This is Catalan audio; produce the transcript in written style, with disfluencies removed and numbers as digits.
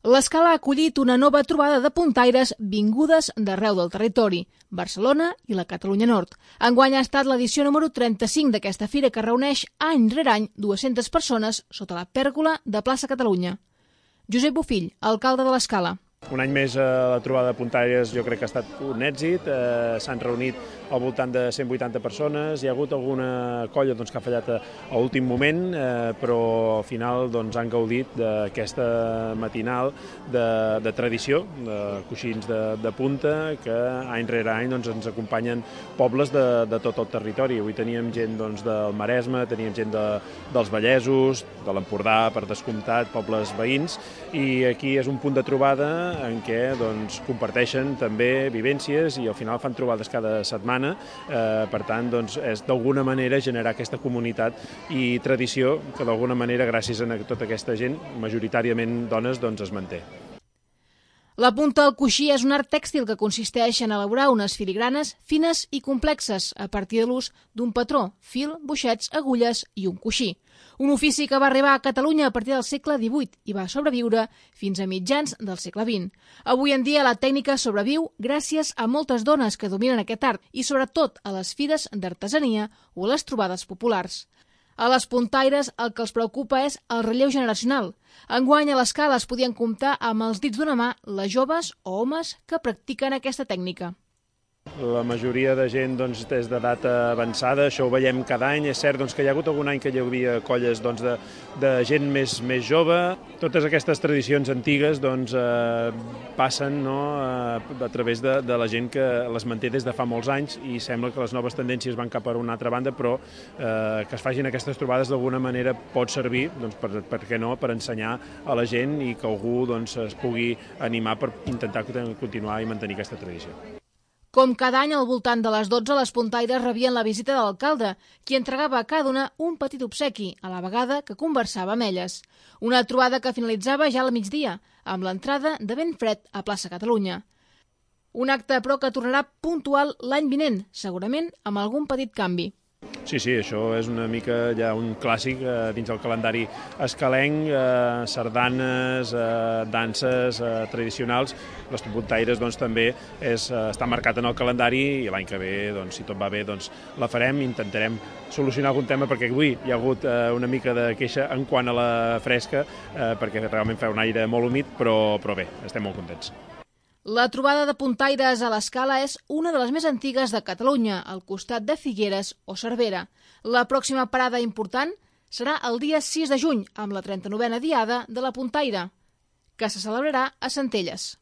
L'Escala ha acollit una nova trobada de puntaires vingudes d'arreu del territori, Barcelona i la Catalunya Nord. Enguany ha estat l'edició número 35 d'aquesta fira que reuneix any rere any 200 persones sota la pèrgola de Plaça Catalunya. Josep Bofill, alcalde de l'Escala. Un any més la trobada de puntaires jo crec que ha estat un èxit, s'han reunit al voltant de 180 persones, hi ha hagut alguna colla que ha fallat a últim moment, però al final han gaudit d'aquesta matinal de tradició, de coixins de punta, que any rere any ens acompanyen pobles de tot el territori. Avui teníem gent del Maresme, teníem gent dels Vallesos, de l'Empordà, per descomptat, pobles veïns, i aquí és un punt de trobada en què comparteixen també vivències i al final fan trobades cada setmana. Per tant, és d'alguna manera generar aquesta comunitat i tradició que d'alguna manera, gràcies a tota aquesta gent, majoritàriament dones, es manté. La punta al coixí és un art tèxtil que consisteix en elaborar unes filigranes fines i complexes a partir de l'ús d'un patró, fil, boixets, agulles i un coixí. Un ofici que va arribar a Catalunya a partir del segle XVIII i va sobreviure fins a mitjans del segle XX. Avui en dia la tècnica sobreviu gràcies a moltes dones que dominen aquest art i sobretot a les fires d'artesania o a les trobades populars. A les puntaires el que els preocupa és el relleu generacional. Enguany a l'Escala es podien comptar amb els dits d'una mà les joves o homes que practiquen aquesta tècnica. La majoria de gent és d'edat avançada, això ho veiem cada any. És cert que hi ha hagut algun any que hi havia colles de gent més jove. Totes aquestes tradicions antigues passen a través de la gent que les manté des de fa molts anys i sembla que les noves tendències van cap a una altra banda, però que es facin aquestes trobades d'alguna manera pot servir, per què no, per ensenyar a la gent i que algú es pugui animar per intentar continuar i mantenir aquesta tradició. Com cada any, al voltant de les 12, les puntaires rebien la visita de l'alcalde, qui entregava a cada una un petit obsequi, a la vegada que conversava amb elles. Una trobada que finalitzava ja al migdia, amb l'entrada de ben fred a Plaça Catalunya. Un acte, però, que tornarà puntual l'any vinent, segurament amb algun petit canvi. Sí, això és una mica ja un clàssic dins el calendari escalenc, sardanes, danses tradicionals. Les puntaires també està marcat en el calendari i l'any que ve, si tot va bé, la farem. Intentarem solucionar algun tema perquè avui hi ha hagut una mica de queixa en quant a la fresca, perquè realment fa un aire molt humit, però bé, estem molt contents. La trobada de puntaires a l'Escala és una de les més antigues de Catalunya, al costat de Figueres o Cervera. La pròxima parada important serà el dia 6 de juny, amb la 39a Diada de la Puntaire, que se celebrarà a Centelles.